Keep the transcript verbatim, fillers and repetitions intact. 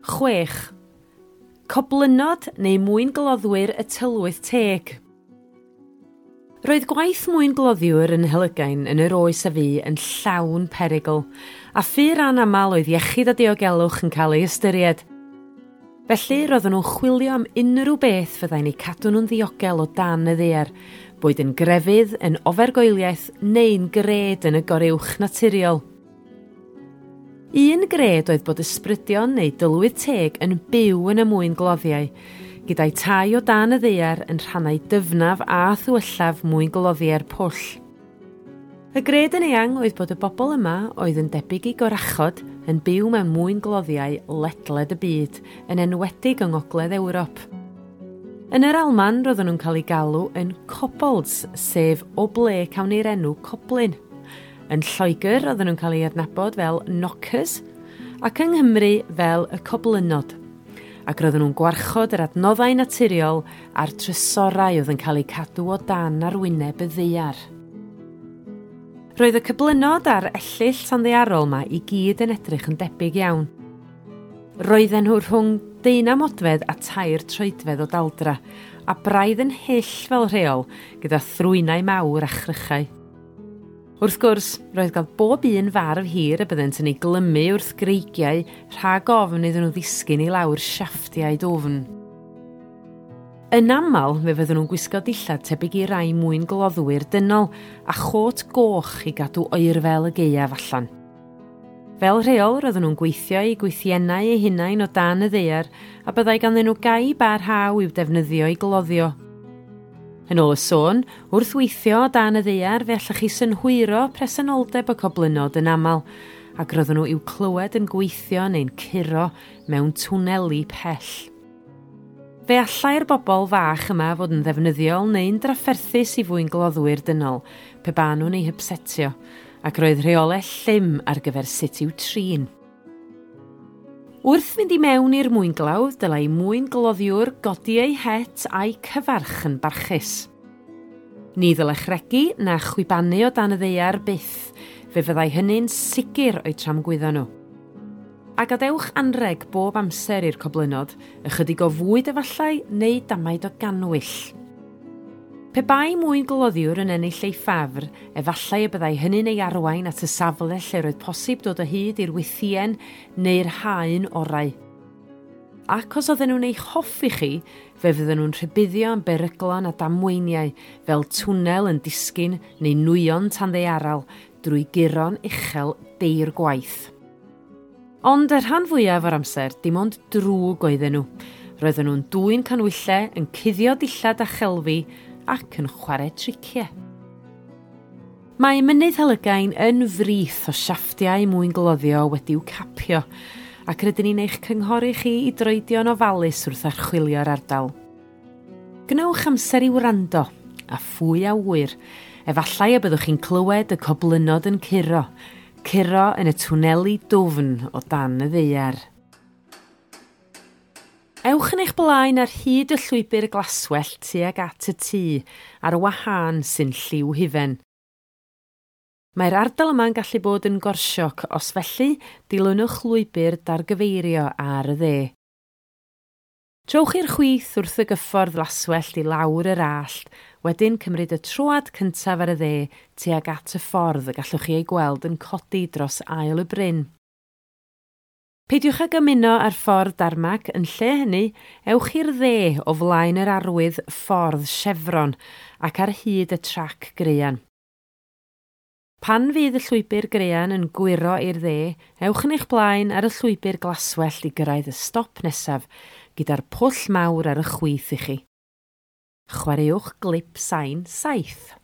Chwech. Coblynod neu mwyngloddwyr y tylwyth teg. Roedd gwaith mwyngloddiwr yn Helygain yn yr oes a fu yn llawn perygl, a phur anaml oedd iechyd a diogelwch yn cael ei ystyried. Felly, roedden nhw'n chwilio am unrhyw beth fyddai'n eu cadw nhw'n ddiogel o dan y ddaear, boed yn grefydd, yn ofergoeliaeth neu'n gred yn y goruwch naturiol. Un gred oedd bod ysbrydion neu dylwyth teg yn byw yn y mwyngloddiau, gyda'i tai o dan y ddaear yn rhannau dyfnaf a thywyllaf mwyngloddiau'r pwll. Y gred yn eang oedd bod y bobl yma oedd yn debyg i gorachod yn byw mewn mwyngloddiau ledled y byd, yn enwedig yng Ngogledd Ewrop. Yn yr Alman roedden nhw'n cael eu galw yn kobolds, sef o ble cawn ni'r enw coblyn. Yn Lloegr oedden nhw'n cael eu adnabod fel knockers ac yng Nghymru fel y coblynod. Ac roedden nhw'n gwarchod yr adnoddau naturiol a'r trysorau oedd yn cael eu cadw o dan arwyneb y ddaear. Roedd y cyblynod a'r ellyll tanddaearol yma i gyd yn edrych yn debyg iawn. Roedden nhw rhwng deunaw modfedd a tair troedfedd o daldra, a braidd yn hyll fel rheol, gyda thrwynau mawr a chrychau. Wrth gwrs, roedd gael bob un farf hir y byddent yn ei glymu wrth greigiau rhag ofn iddyn nhw ddisgyn i lawr siafftiau dwfn. Yn aml, fe fydden nhw'n gwisgo dillad tebyg i rai mwyn gloddwyr dynol a chôt goch i gadw oerfel y gaeaf allan. Fel rheol, roedden nhw'n gweithio eu gwythiennau eu hunain o dan y ddaear a byddai ganddyn nhw gaib a rhaw i'w defnyddio i gloddio. Yn ôl y sôn, wrth weithio o dan y ddaear fe allech chi synhwyro presenoldeb y coblynod yn aml, ac roedden nhw i'w clywed yn gweithio neu'n curo mewn twneli pell. Fe allai'r bobl fach yma fod yn ddefnyddiol neu'n drafferthus i fwyngloddwyr dynol, pe ba nhw'n eu hypsetio, ac roedd rheolau llym ar gyfer sut i'w trin. Wrth fynd i mewn i'r mwynglawdd, dylai mwyngloddiwr godi ei het a'i cyfarch yn barchus. Ni ddylech regi na chwibanu o dan y ddaear byth, fe fyddai hynny'n sicr o'u tramgwyddo nhw. A gadewch anreg bob amser i'r coblynod, ychydig o fwyd efallai neu damaid o gannwyll. Pe bai mwyngloddiwr yn ennill ei ffafr, efallai y byddai hynny'n ei arwain at y safle lle roedd posib dod o hyd i'r wythïen neu'r haen orau. Ac os oedden nhw'n eich hoffi chi, fe fydden nhw'n rhybuddio am beryglon a damweiniau fel twnnel yn disgyn neu nwyon tanddaearal drwy guro'n uchel deir gwaith. Ond y rhan fwyaf o'r amser, dim ond drwg oedden nhw. Roedden nhw'n dwyn canwyllau, yn cuddio dillad a chelfi, ac yn chwarae triciau. Mae Mynydd Helygain yn frith o siafftiau mwyngloddio wedi'w capio, ac rydyn ni'n eich cynghori chi i droedio'n ofalus wrth archwilio'r ardal. Gwnewch amser i wrando, a phwy a ŵyr, efallai y byddwch chi'n clywed y coblynod yn curo, curo yn y twneli dwfn o dan y ddaear. Ewch yn eich blaen ar hyd y llwybr glaswellt tuag at y tŷ ar wahân sy'n lliw hufen. Mae'r ardal yma'n gallu bod yn gorsiog, os felly dilynwch lwybr dargyfeirio ar y dde. Trowch i'r chwith wrth y gyffordd laswellt i lawr yr allt, wedyn cymryd y troad cyntaf ar y dde tuag at y ffordd y gallwch chi ei gweld yn codi dros ael y bryn. Peidiwch ag ymuno ar ffordd darmac, yn lle hynny, ewch i'r dde o flaen yr arwydd ffordd Chevron ac ar hyd y trac graean. Pan fydd y llwybr graean yn gwyro i'r dde, ewch yn eich blaen ar y llwybr glaswellt i gyrraedd y stop nesaf, gyda'r pwll mawr ar y chwith i chi. Chwaraewch glip sain saith.